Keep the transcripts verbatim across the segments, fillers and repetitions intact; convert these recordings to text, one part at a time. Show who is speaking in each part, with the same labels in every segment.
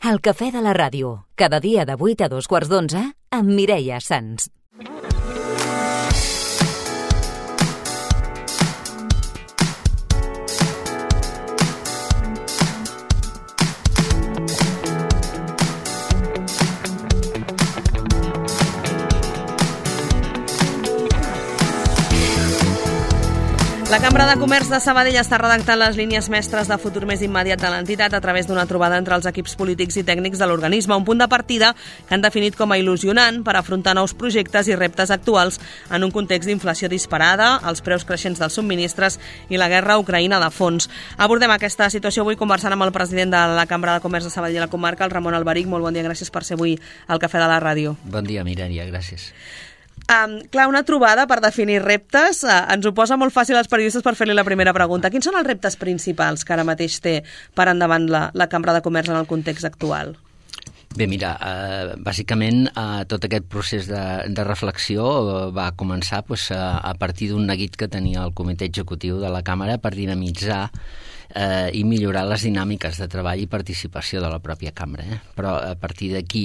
Speaker 1: El cafè de la ràdio, cada dia de vuit a dos quarts d'onze, amb Mireia Sans.
Speaker 2: La Cambra de Comerç de Sabadell està redactant les línies mestres de futur més immediat de l'entitat a través d'una trobada entre els equips polítics i tècnics de l'organisme, un punt de partida que han definit com a il·lusionant per afrontar nous projectes i reptes actuals en un context d'inflació disparada, els preus creixents dels subministres i la guerra a Ucraïna de fons. Abordem aquesta situació avui conversant amb el president de la Cambra de Comerç de Sabadell i la comarca, el Ramon Alberic. Molt bon dia, gràcies per ser avui al Cafè de la Ràdio.
Speaker 3: Bon dia, Mireia, gràcies.
Speaker 2: Um, clar, una trobada per definir reptes uh, ens ho posa molt fàcil als periodistes per fer-li la primera pregunta. Quins són els reptes principals que ara mateix té per endavant la, la Cambra de Comerç en el context actual?
Speaker 3: Bé, mira, eh, bàsicament eh, tot aquest procés de, de reflexió eh, va començar pues, a, a partir d'un neguit que tenia el comitè executiu de la Càmera per dinamitzar eh, i millorar les dinàmiques de treball i participació de la pròpia Cambra. Eh? Però a partir d'aquí,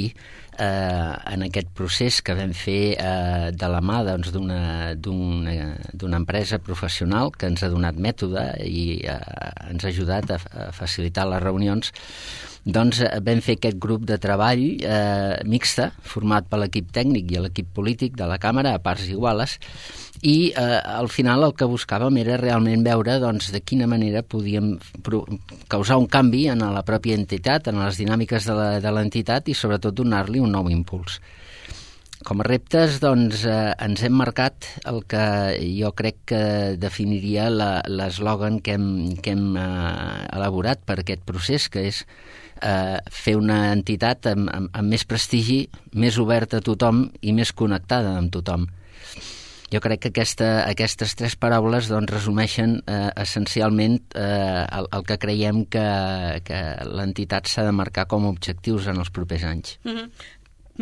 Speaker 3: eh, en aquest procés que vam fer eh, de la mà doncs, d'una d'una d'una empresa professional que ens ha donat mètode i eh, ens ha ajudat a, a facilitar les reunions, doncs vam fer aquest grup de treball eh, mixta, format per l'equip tècnic i l'equip polític de la Càmera, a parts iguales, i eh, al final el que buscàvem era realment veure doncs, de quina manera podíem causar un canvi en la pròpia entitat, en les dinàmiques de l'entitat i sobretot donar-li un nou impuls. Com a reptes, doncs, eh, ens hem marcat el que jo crec que definiria l'eslògan que hem, que hem eh, elaborat per aquest procés, que és eh, fer una entitat amb, amb, amb més prestigi, més oberta a tothom i més connectada amb tothom. Jo crec que aquesta, aquestes tres paraules doncs, resumeixen eh, essencialment eh, el, el que creiem que, que l'entitat s'ha de marcar com a objectius en els propers anys.
Speaker 2: Mm-hmm.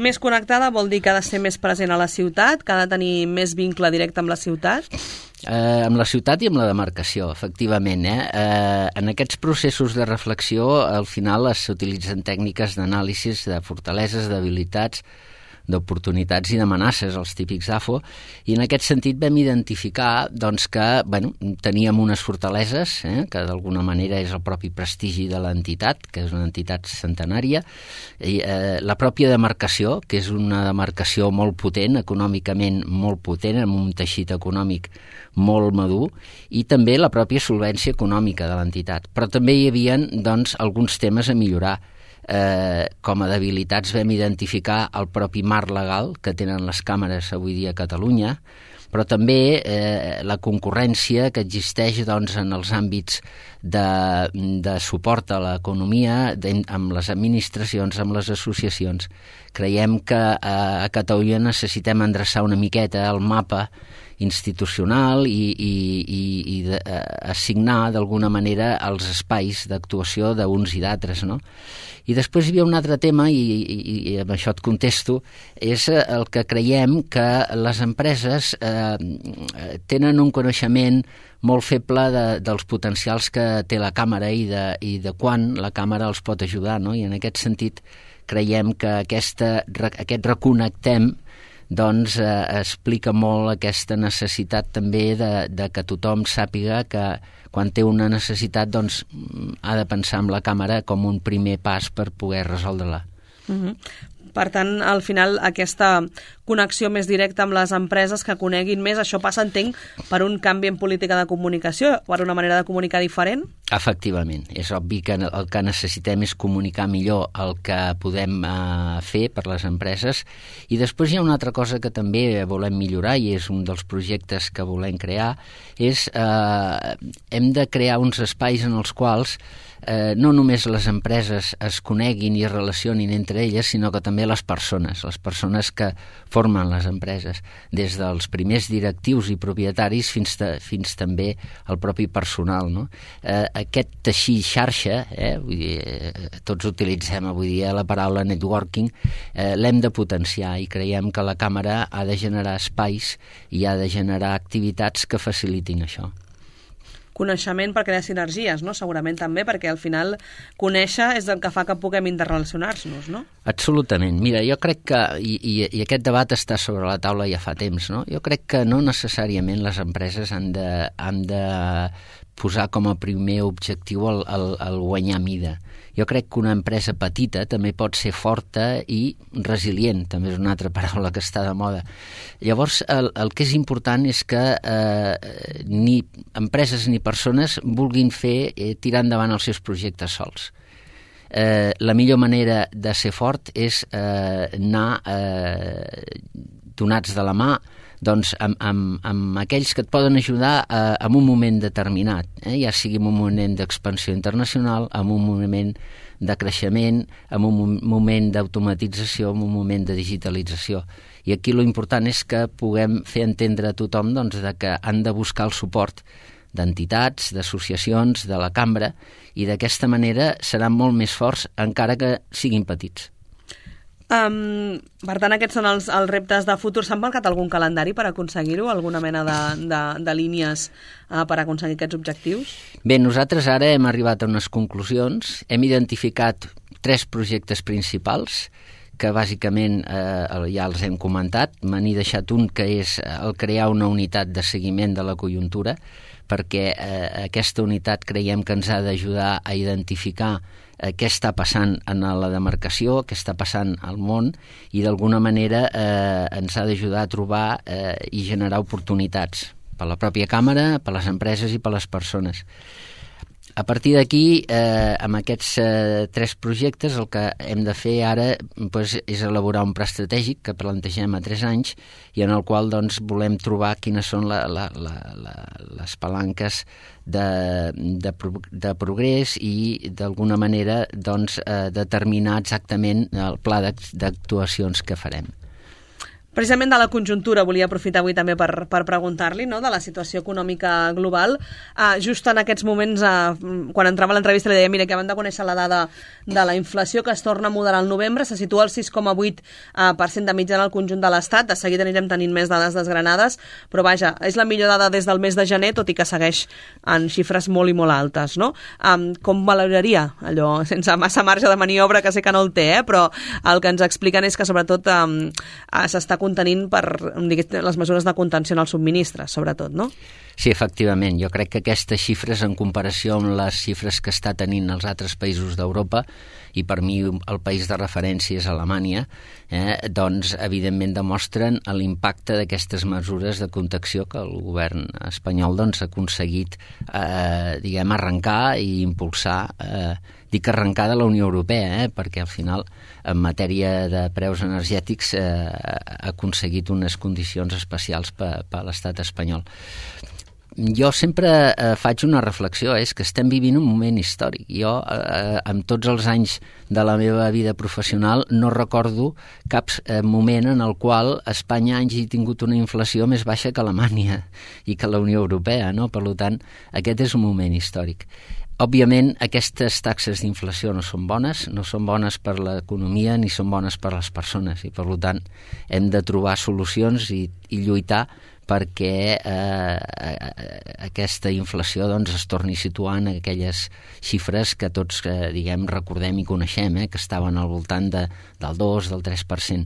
Speaker 2: Més connectada vol dir que ha de ser més present a la ciutat, que ha de tenir més vincle directe amb la ciutat?
Speaker 3: Eh, amb la ciutat i amb la demarcació, efectivament. Eh? Eh, en aquests processos de reflexió, al final s'utilitzen tècniques d'anàlisis de fortaleses, d'habilitats, d'oportunitats i d'amenaces, els típics A F O, i en aquest sentit vam identificar doncs, que bueno, teníem unes fortaleses, eh, que d'alguna manera és el propi prestigi de l'entitat, que és una entitat centenària, i eh, la pròpia demarcació, que és una demarcació molt potent, econòmicament molt potent, amb un teixit econòmic molt madur, i també la pròpia solvència econòmica de l'entitat. Però també hi havia doncs, alguns temes a millorar. Eh, com a debilitats vam identificar el propi marc legal que tenen les càmeres avui dia a Catalunya, però també eh, la concurrència que existeix doncs, en els àmbits de, de suport a l'economia amb les administracions, amb les associacions. Creiem que eh, a Catalunya necessitem endreçar una miqueta el mapa institucional i, i, i, i de, eh, assignar d'alguna manera els espais d'actuació d'uns i d'altres, no? I després hi havia un altre tema, i, i, i amb això et contesto, és el que creiem que les empreses eh, tenen un coneixement molt feble de, dels potencials que té la Càmera i de, i de quan la Càmera els pot ajudar, no? I en aquest sentit creiem que aquesta, aquest reconnectem doncs eh, explica molt aquesta necessitat també de, de que tothom sàpiga que quan té una necessitat doncs ha de pensar en la Càmera com un primer pas per poder resoldre-la.
Speaker 2: Mm-hmm. Per tant, al final, aquesta connexió més directa amb les empreses que coneguin més, això passa, entenc, per un canvi en política de comunicació, per una manera de comunicar diferent?
Speaker 3: Efectivament. És obvi que el que necessitem és comunicar millor el que podem eh, fer per les empreses. I després hi ha una altra cosa que també volem millorar, i és un dels projectes que volem crear, és eh, hem de crear uns espais en els quals eh, no només les empreses es coneguin i es relacionin entre elles, sinó que també les persones, les persones que formen les empreses, des dels primers directius i propietaris fins, ta, fins també el propi personal. No? Eh, aquest teixir xarxa, eh, vull dir, eh, tots utilitzem avui dia la paraula networking, eh, l'hem de potenciar i creiem que la Càmera ha de generar espais i ha de generar activitats que facilitin això.
Speaker 2: coneixement per crear sinergies, no? Segurament també, perquè al final conèixer és el que fa que puguem interrelacionar-nos, no?
Speaker 3: Absolutament. Mira, jo crec que, i, i, i aquest debat està sobre la taula ja fa temps, no? Jo crec que no necessàriament les empreses han de, han de posar com a primer objectiu el, el, el guanyar mida. Jo crec que una empresa petita també pot ser forta i resilient, també és una altra paraula que està de moda. Llavors, el, el que és important és que eh, ni empreses ni persones vulguin fer eh, tirar endavant els seus projectes sols. Eh, la millor manera de ser fort és eh, anar eh, donats de la mà doncs amb, amb, amb aquells que et poden ajudar eh, en un moment determinat, eh? Ja sigui en un moment d'expansió internacional, en un moment de creixement, en un moment d'automatització, en un moment de digitalització. I aquí lo important és que puguem fer entendre a tothom doncs, de que han de buscar el suport d'entitats, d'associacions, de la cambra, i d'aquesta manera seran molt més forts encara que siguin petits.
Speaker 2: Um, per tant, aquests són els, els reptes de futur. S'han marcat algun calendari per aconseguir-ho? Alguna mena de, de, de línies uh, per aconseguir aquests objectius?
Speaker 3: Bé, nosaltres ara hem arribat a unes conclusions. Hem identificat tres projectes principals que bàsicament eh, ja els hem comentat. Me n'he deixat un que és el crear una unitat de seguiment de la conjuntura, perquè eh, aquesta unitat creiem que ens ha d'ajudar a identificar eh, què està passant en la demarcació, què està passant al món, i d'alguna manera eh, ens ha d'ajudar a trobar eh, i generar oportunitats per la pròpia càmera, per les empreses i per les persones. A partir d'aquí, eh, amb aquests eh, tres projectes, el que hem de fer ara pues, és elaborar un pla estratègic que plantegem a tres anys i en el qual doncs, volem trobar quines són la, la, la, la, les palanques de, de, pro, de progrés i d'alguna manera doncs, eh, determinar exactament el pla d'actuacions que farem.
Speaker 2: Precisament de la conjuntura volia aprofitar avui també per, per preguntar-li, no?, de la situació econòmica global. Uh, just en aquests moments, uh, quan entrava a l'entrevista, li deia, mira, que abans de conèixer la dada de la inflació, que es torna a moderar al novembre, se situa al sis coma vuit per cent de mitjana al conjunt de l'Estat. De seguida anirem tenint més dades desgranades, però vaja, és la millor dada des del mes de gener, tot i que segueix en xifres molt i molt altes, no? Um, com valoraria allò, sense massa marge de maniobra, que sé que no el té, eh? Però el que ens expliquen és que sobretot um, s'està contenint per diguem, les mesures de contenció en els subministres, sobretot, no?
Speaker 3: Sí, efectivament. Jo crec que aquestes xifres, en comparació amb les xifres que està tenint els altres països d'Europa, i per mi el país de referència és Alemanya, eh, doncs evidentment demostren l'impacte d'aquestes mesures de contenció que el govern espanyol doncs, ha aconseguit eh, diguem, arrencar i impulsar, eh, dic arrencar de la Unió Europea, eh, perquè al final en matèria de preus energètics eh, ha aconseguit unes condicions especials per, per l'estat espanyol. Jo sempre eh, faig una reflexió, és que estem vivint un moment històric. Jo, eh, amb tots els anys de la meva vida professional, no recordo cap eh, moment en el qual Espanya hagi tingut una inflació més baixa que Alemanya i que la Unió Europea, no? Per tant, aquest és un moment històric. Òbviament, aquestes taxes d'inflació no són bones, no són bones per l'economia ni són bones per les persones i, per tant, hem de trobar solucions i, i lluitar perquè eh, aquesta inflació doncs, es torni a situar en aquelles xifres que tots eh, diguem, recordem i coneixem, eh, que estaven al voltant de, del dos, del tres per cent.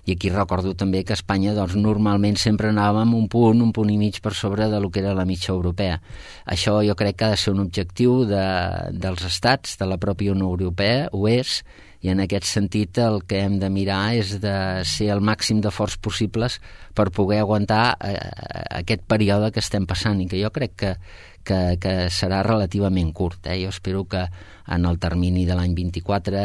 Speaker 3: I aquí recordo també que a Espanya doncs, normalment sempre anàvem un punt, un punt i mig per sobre de lo que era la mitja europea. Això jo crec que ha de ser un objectiu de, dels estats, de la pròpia Unió Europea, ho és, i en aquest sentit el que hem de mirar és de ser el màxim de forts possibles per poder aguantar eh, aquest període que estem passant i que jo crec que, que, que serà relativament curt. Eh? Jo espero que en el termini de l'any vint-i-quatre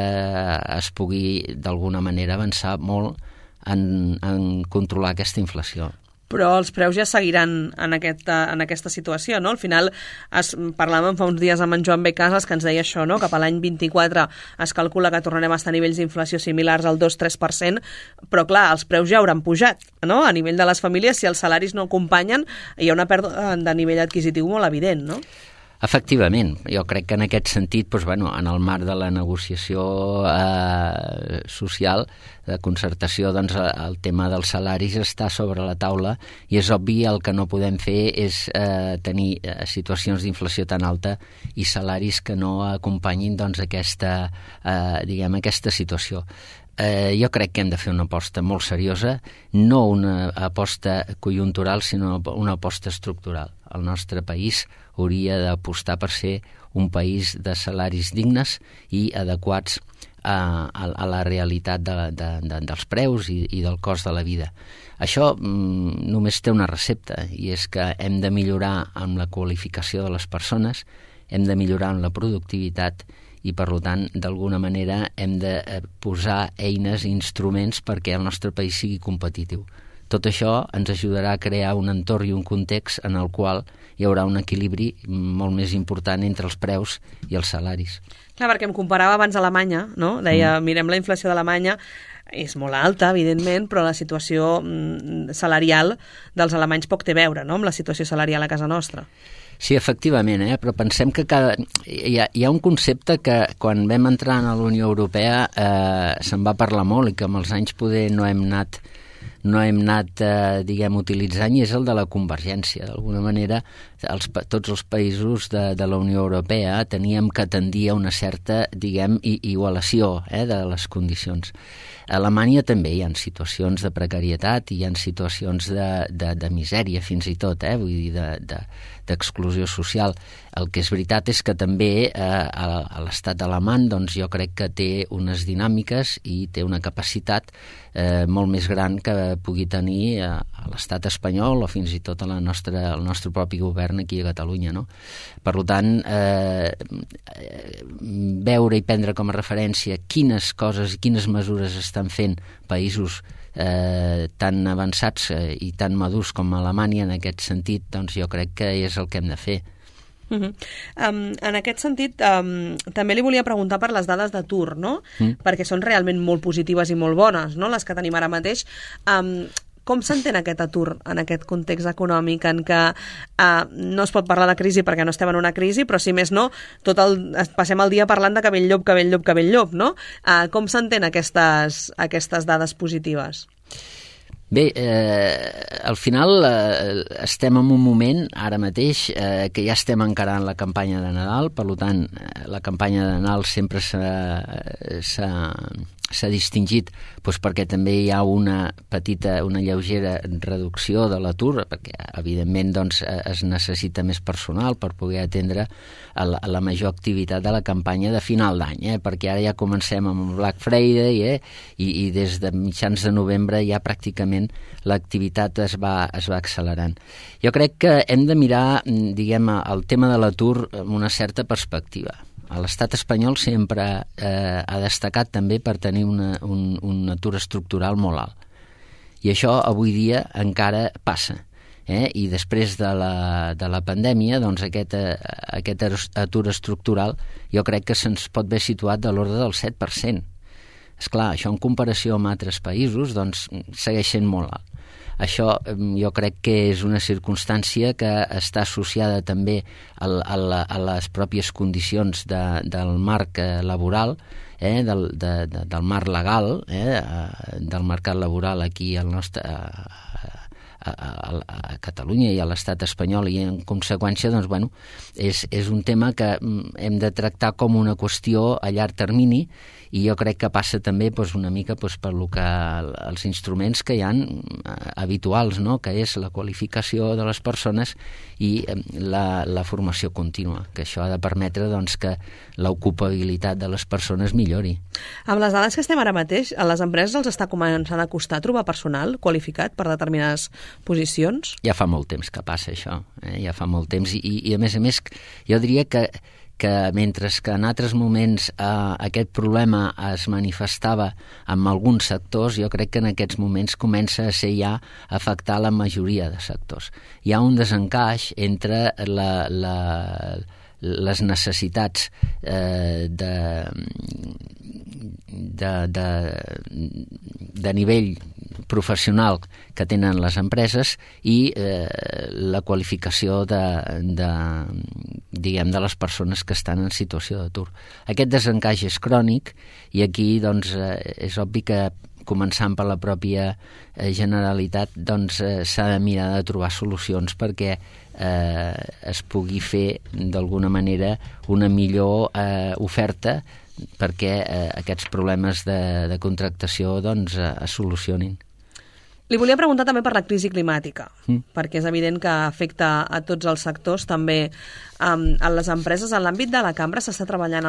Speaker 3: es pugui d'alguna manera avançar molt en, en controlar aquesta inflació.
Speaker 2: Però els preus ja seguiran en aquesta, en aquesta situació, no? Al final, es, parlàvem fa uns dies amb en Joan B. Casas que ens deia això, no? Cap a l'any vint-i-quatre es calcula que tornarem a estar a nivells d'inflació similars al dos tres per cent, però clar, els preus ja hauran pujat, no? A nivell de les famílies, si els salaris no acompanyen, hi ha una pèrdua de nivell adquisitiu molt evident, no?
Speaker 3: Efectivament, jo crec que en aquest sentit, doncs, bueno, en el marc de la negociació eh, social, de concertació, doncs el tema dels salaris està sobre la taula i és obvi el que no podem fer és eh, tenir eh, situacions d'inflació tan alta i salaris que no acompanyin doncs aquesta, eh, diguem, aquesta situació. Eh, jo crec que hem de fer una aposta molt seriosa, no una aposta conjuntural, sinó una aposta estructural. El nostre país hauria d'apostar per ser un país de salaris dignes i adequats a, a, a la realitat de, de, de, dels preus i, i del cost de la vida. Això mm, només té una recepta, i és que hem de millorar amb la qualificació de les persones, hem de millorar en la productivitat i, per tant, d'alguna manera hem de posar eines i instruments perquè el nostre país sigui competitiu. Tot això ens ajudarà a crear un entorn i un context en el qual hi haurà un equilibri molt més important entre els preus i els salaris.
Speaker 2: Clar, perquè em comparava abans a Alemanya, no? Deia, mm. mirem la inflació d'Alemanya, és molt alta, evidentment, però la situació mm, salarial dels alemanys poc té a veure, no?, amb la situació salarial a casa nostra.
Speaker 3: Sí, efectivament, eh? Però pensem que cada... hi, ha, hi ha un concepte que quan vam entrar a la Unió Europea eh, se'n va parlar molt i que amb els anys poder no hem anat, no hem anat eh, diguem, utilitzant, i és el de la convergència. D'alguna manera, els, tots els països de, de la Unió Europea teníem que tendir a una certa, diguem, igualació eh, de les condicions. A Alemanya també hi ha situacions de precarietat i hi ha situacions de, de, de misèria, fins i tot, eh? Vull dir, de, de, d'exclusió social. El que és veritat és que també eh, a, a l'estat alemany doncs, jo crec que té unes dinàmiques i té una capacitat eh, molt més gran que pugui tenir a, a l'estat espanyol o fins i tot a la nostra, al nostre propi govern aquí a Catalunya, no? Per tant, eh, veure i prendre com a referència quines coses i quines mesures estan fent països eh, tan avançats eh, i tan madurs com Alemanya en aquest sentit, doncs jo crec que és el que hem de fer.
Speaker 2: Uh -huh. um, en aquest sentit, um, també li volia preguntar per les dades d'atur, no? Mm. Perquè són realment molt positives i molt bones, no?, les que tenim ara mateix. Um, Com s'entén aquest atur en aquest context econòmic en què uh, no es pot parlar de crisi perquè no estem en una crisi, però si més no, tot el, passem el dia parlant de que ve el llop, que ve el llop, que ve el llop, no? Uh, com s'entén aquestes, aquestes dades positives?
Speaker 3: Bé, eh, al final eh, estem en un moment, ara mateix, eh, que ja estem encarant la campanya de Nadal, per tant, eh, la campanya de Nadal sempre s'ha... s'ha s'ha distingit doncs, perquè també hi ha una petita, una lleugera reducció de l'atur, perquè evidentment doncs, es necessita més personal per poder atendre a la, a la major activitat de la campanya de final d'any, eh? Perquè ara ja comencem amb Black Friday eh? I, i des de mitjans de novembre ja pràcticament l'activitat es va, es va accelerant. Jo crec que hem de mirar, diguem, el tema de l'atur amb una certa perspectiva. L'estat espanyol sempre eh, ha destacat també per tenir una, un, un atur estructural molt alt. I això avui dia encara passa. Eh? I després de la, de la pandèmia, doncs aquest, eh, aquest atur estructural jo crec que se'ns pot haver situat de l'ordre del set per cent. Esclar, això en comparació amb altres països doncs, segueix sent molt alt. Això jo crec que és una circumstància que està associada també a, a, la, a les pròpies condicions de, del marc laboral, eh, del, de, de, del marc legal, eh, del mercat laboral aquí al nostre, a, a, a, a Catalunya i a l'estat espanyol, i en conseqüència doncs, bueno, és, és un tema que hem de tractar com una qüestió a llarg termini, i jo crec que passa també doncs, una mica doncs, per lo que, els instruments que hi ha habituals, no?, que és la qualificació de les persones i la, la formació contínua, que això ha de permetre doncs, que l'ocupabilitat de les persones millori.
Speaker 2: Amb les dades que estem ara mateix, a les empreses els està començant a costar trobar personal qualificat per determinades posicions?
Speaker 3: Ja fa molt temps que passa això, eh? Ja fa molt temps, i, i a més a més jo diria que que mentre que en altres moments eh, aquest problema es manifestava en alguns sectors, jo crec que en aquests moments comença a ser ja afectar la majoria de sectors. Hi ha un desencaix entre la, la, les necessitats eh, de, de, de, de nivell professional que tenen les empreses i eh, la qualificació de, de, diguem, de les persones que estan en situació d'atur. Aquest desencaix és crònic i aquí doncs, és obvi que començant per la pròpia Generalitat, doncs eh, s'ha de mirar de trobar solucions perquè eh, es pugui fer d'alguna manera una millor eh, oferta perquè eh, aquests problemes de, de contractació doncs, eh, es solucionin.
Speaker 2: Li volia preguntar també per la crisi climàtica,
Speaker 3: mm.
Speaker 2: perquè és evident que afecta a tots els sectors, també um, a les empreses. En l'àmbit de la cambra s'està treballant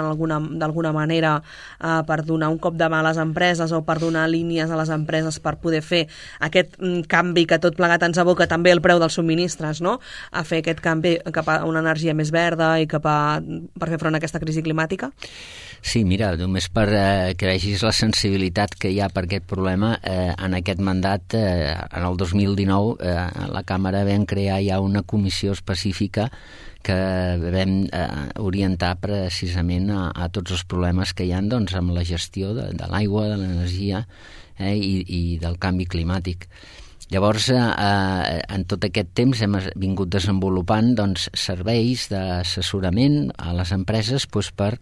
Speaker 2: d'alguna manera uh, per donar un cop de mà a les empreses o per donar línies a les empreses per poder fer aquest um, canvi que tot plegat ens aboca també el preu dels subministres, no? A fer aquest canvi cap a una energia més verda i cap a, per fer front a aquesta crisi climàtica?
Speaker 3: Sí, mira, només per eh, que vegis la sensibilitat que hi ha per aquest problema, eh, en aquest mandat, eh, en el dos mil dinou, eh, a la Càmera vam crear ja una comissió específica que vam eh, orientar precisament a, a tots els problemes que hi ha doncs, amb la gestió de, de l'aigua, de l'energia eh, i, i del canvi climàtic. Llavors, eh, en tot aquest temps hem vingut desenvolupant doncs, serveis d'assessorament a les empreses doncs, per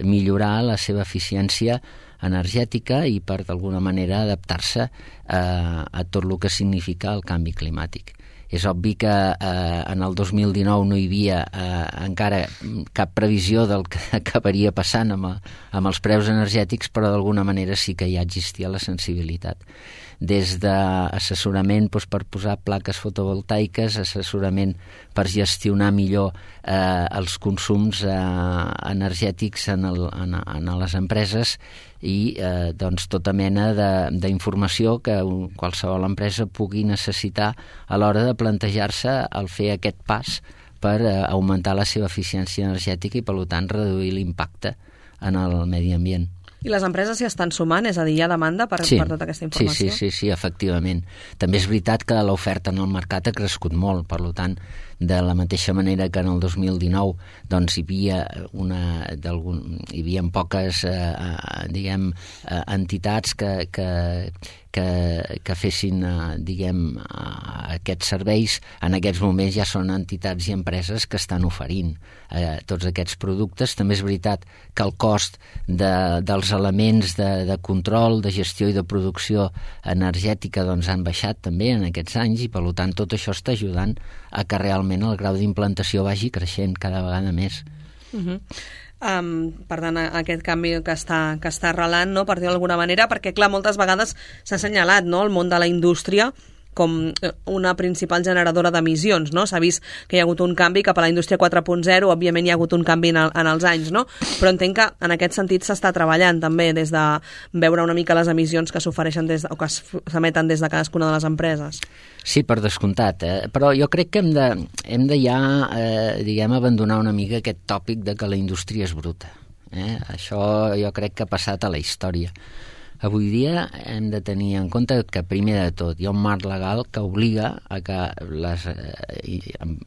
Speaker 3: millorar la seva eficiència energètica i per, d'alguna manera, adaptar-se eh, a tot el que significa el canvi climàtic. És obvi que eh, en el dos mil dinou no hi havia eh, encara cap previsió del que acabaria passant amb, amb els preus energètics, però d'alguna manera sí que ja existia la sensibilitat. Des d'assessorament doncs, per posar plaques fotovoltaiques, assessorament per gestionar millor eh, els consums eh, energètics en, el, en, en les empreses i eh, doncs, tota mena d'informació que un, qualsevol empresa pugui necessitar a l'hora de plantejar-se el fer aquest pas per eh, augmentar la seva eficiència energètica i, per tant, reduir l'impacte en el medi ambient.
Speaker 2: I les empreses s'hi estan sumant? És a dir, hi ha demanda per,
Speaker 3: sí,
Speaker 2: per tota aquesta informació?
Speaker 3: Sí, sí, sí, sí, efectivament. També és veritat que l'oferta en el mercat ha crescut molt, per tant, de la mateixa manera que en el dos mil dinou doncs, hi havia una, hi havia poques eh, diguem, eh, entitats que, que, que, que fessin eh, diguem, eh, aquests serveis. En aquests moments ja són entitats i empreses que estan oferint eh, tots aquests productes. També és veritat que el cost de, dels elements de, de control, de gestió i de producció energètica doncs, han baixat també en aquests anys i, per tant, tot això està ajudant a que realment el grau d'implantació vagi creixent cada vegada més.
Speaker 2: Uh-huh. Um, per tant, aquest canvi que està, que està arrelant, no, per dir-ho d'alguna manera, perquè, clar, moltes vegades s'ha assenyalat, no, el món de la indústria com una principal generadora d'emissions, no? S'ha vist que hi ha hagut un canvi cap a la indústria quatre punt zero, òbviament hi ha hagut un canvi en, el, en els anys, no? Però entenc que en aquest sentit s'està treballant també des de veure una mica les emissions que s'ofereixen des de, o que s'emeten des de cadascuna de les empreses.
Speaker 3: Sí, per descomptat, eh? Però jo crec que hem de, hem de ja, eh, diguem, abandonar una mica aquest tòpic de que la indústria és bruta. Eh? Això jo crec que ha passat a la història. Avui dia hem de tenir en compte que, primer de tot, hi ha un marc legal que obliga a que les eh,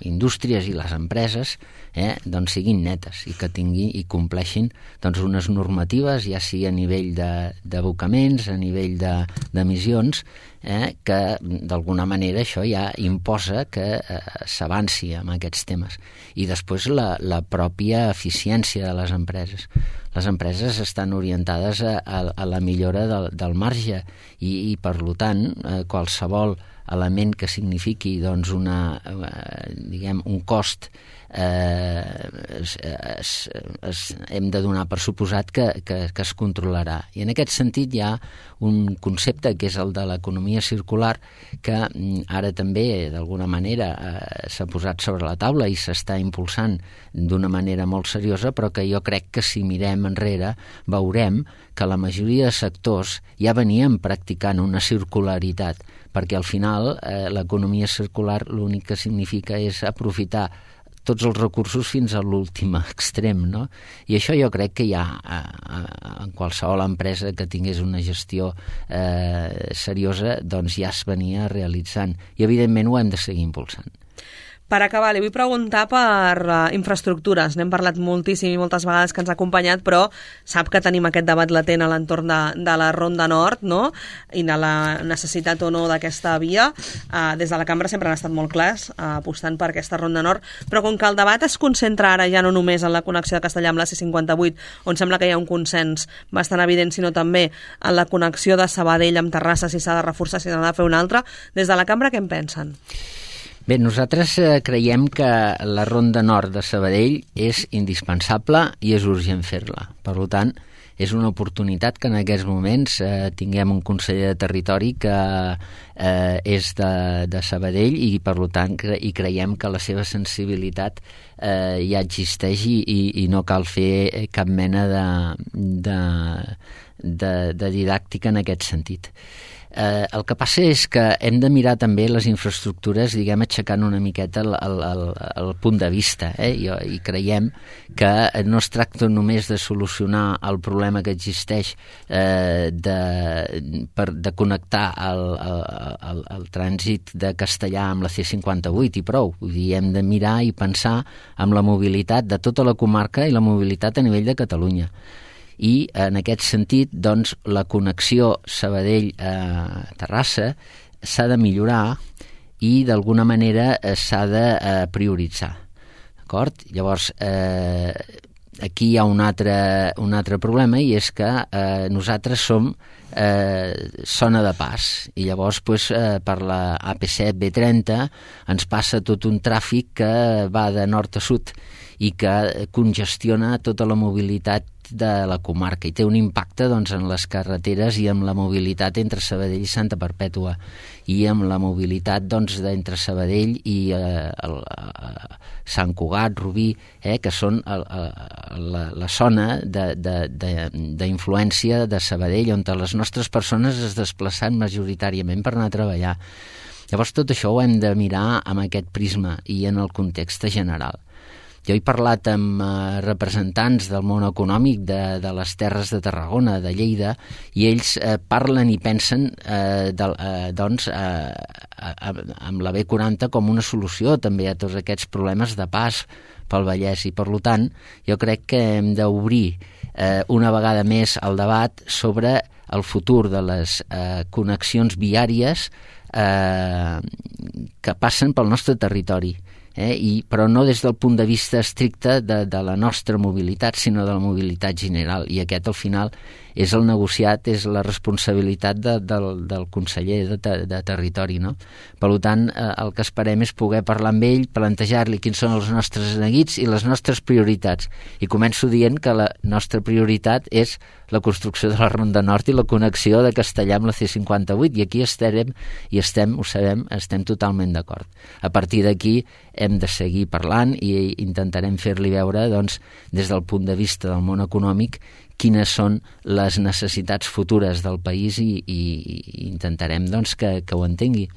Speaker 3: indústries i les empreses eh, doncs siguin netes i que tinguin i compleixin doncs, unes normatives, ja sigui a nivell d'abocaments, a nivell d'emissions, eh, que d'alguna manera això ja imposa que eh, s'avanci amb aquests temes. I després la, la pròpia eficiència de les empreses. Les empreses estan orientades a, a, a la millora del, del marge i, i per tant, eh, qualsevol element que signifiqui doncs, una, eh, diguem, un cost eh, es, es, es, hem de donar per suposat que, que, que es controlarà. I en aquest sentit hi ha un concepte que és el de l'economia circular que ara també d'alguna manera eh, s'ha posat sobre la taula i s'està impulsant d'una manera molt seriosa, però que jo crec que si mirem enrere veurem que la majoria de sectors ja venien practicant una circularitat, perquè al final eh, l'economia circular l'únic que significa és aprofitar tots els recursos fins a l'últim extrem, no? I això jo crec que ja a, a, en qualsevol empresa que tingués una gestió eh, seriosa doncs ja es venia realitzant i evidentment ho hem de seguir impulsant.
Speaker 2: Per acabar, li vull preguntar per uh, infraestructures. N'hem parlat moltíssim i moltes vegades que ens ha acompanyat, però sap que tenim aquest debat latent a l'entorn de, de la Ronda Nord, no? I de la necessitat o no d'aquesta via. Uh, des de la cambra sempre han estat molt clars, uh, apostant per aquesta Ronda Nord, però com que el debat es concentra ara ja no només en la connexió de Castellar amb la C cinquanta-vuit, on sembla que hi ha un consens bastant evident, sinó també en la connexió de Sabadell amb Terrassa, si s'ha de reforçar, si s'ha de fer una altra. Des de la cambra, què en pensen?
Speaker 3: Bé, nosaltres eh, creiem que la Ronda Nord de Sabadell és indispensable i és urgent fer-la. Per tant, és una oportunitat que en aquests moments eh, tinguem un conseller de territori que eh, és de, de Sabadell i, per tant, cre i creiem que la seva sensibilitat eh, ja existeix i, i, i no cal fer cap mena de, de, de, de didàctica en aquest sentit. Eh, el que passa és que hem de mirar també les infraestructures, diguem, aixecant una miqueta el, el, el, el punt de vista, eh? I, i creiem que no es tracta només de solucionar el problema que existeix eh, de, per, de connectar el, el, el, el trànsit de Castellar amb la C cinquanta-vuit i prou. Vull dir, hem de mirar i pensar en la mobilitat de tota la comarca i la mobilitat a nivell de Catalunya. I en aquest sentit, doncs, la connexió Sabadell-Terrassa s'ha de millorar i d'alguna manera s'ha de eh, prioritzar. D'acord? Llavors, eh, aquí hi ha un altre, un altre problema i és que eh, nosaltres som eh, zona de pas i llavors pues, eh, per la A P set B trenta ens passa tot un tràfic que va de nord a sud i que congestiona tota la mobilitat de la comarca i té un impacte doncs, en les carreteres i en la mobilitat entre Sabadell i Santa Perpètua i amb la mobilitat doncs, entre Sabadell i eh, el, eh, Sant Cugat, Rubí, eh, que són el, el, la, la zona d'influència de, de, de Sabadell on les nostres persones es desplacen majoritàriament per anar a treballar. Llavors tot això ho hem de mirar amb aquest prisma i en el context general. Jo he parlat amb eh, representants del món econòmic de, de les terres de Tarragona, de Lleida, i ells eh, parlen i pensen eh, de, eh, doncs, eh, amb la B quaranta com una solució també a tots aquests problemes de pas pel Vallès. I, per tant, jo crec que hem d'obrir eh, una vegada més el debat sobre el futur de les eh, connexions viàries eh, que passen pel nostre territori. Eh, i, però no des del punt de vista estricte de, de la nostra mobilitat, sinó de la mobilitat general. I aquest, al final, és el negociat, és la responsabilitat de, del, del conseller de, de, de territori. No? Per tant, eh, el que esperem és poder parlar amb ell, plantejar-li quins són els nostres neguits i les nostres prioritats. I començo dient que la nostra prioritat és la construcció de la Ronda Nord i la connexió de Castellar amb la C cinquanta-vuit, i aquí estarem, i estem, ho sabem, estem totalment d'acord. A partir d'aquí hem de seguir parlant i intentarem fer-li veure, doncs, des del punt de vista del món econòmic, quines són les necessitats futures del país i, i, i intentarem doncs, que, que ho entengui.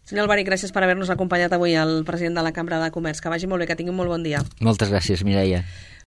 Speaker 2: Senyor Alberic, gràcies per haver-nos acompanyat avui, el president de la Cambra de Comerç. Que vagi molt bé, que tingui un molt bon dia.
Speaker 3: Moltes gràcies, Mireia.